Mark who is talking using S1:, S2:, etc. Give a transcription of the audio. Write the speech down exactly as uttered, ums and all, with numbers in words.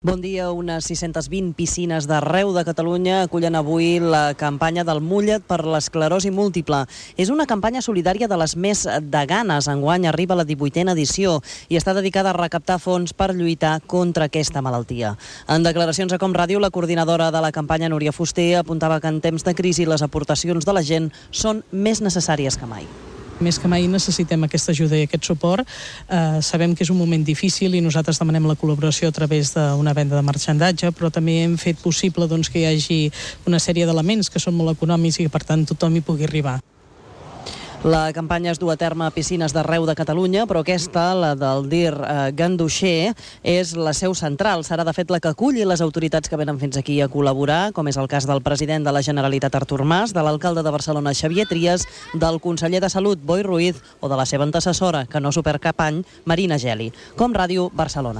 S1: Bon dia. Unes sis-centes vint piscines d'arreu de Catalunya acullen avui la campanya del Mulla't per l'esclerosi múltiple. És una campanya solidària de les més de ganes. Enguany arriba la divuitena edició i està dedicada a recaptar fons per lluitar contra aquesta malaltia. En declaracions a Com Ràdio, la coordinadora de la campanya, Núria Fuster, apuntava que en temps de crisi les aportacions de la gent són més necessàries que mai.
S2: Més que mai necessitem aquesta ajuda i aquest suport. Eh, sabem que és un moment difícil i nosaltres demanem la col·laboració a través d'una venda de marxandatge, però també hem fet possible doncs, que hi hagi una sèrie d'elements que són molt econòmics i que per tant tothom hi pugui arribar.
S1: La campanya es du a terme a piscines d'arreu de Catalunya, però aquesta, la del D I R eh, Ganduxer, és la seu central. Serà, de fet, la que aculli les autoritats que venen fins aquí a col·laborar, com és el cas del president de la Generalitat, Artur Mas, de l'alcalde de Barcelona, Xavier Trias, del conseller de Salut, Boi Ruiz, o de la seva antecessora, que no s'ho perd cap any, Marina Geli. Com Ràdio, Barcelona.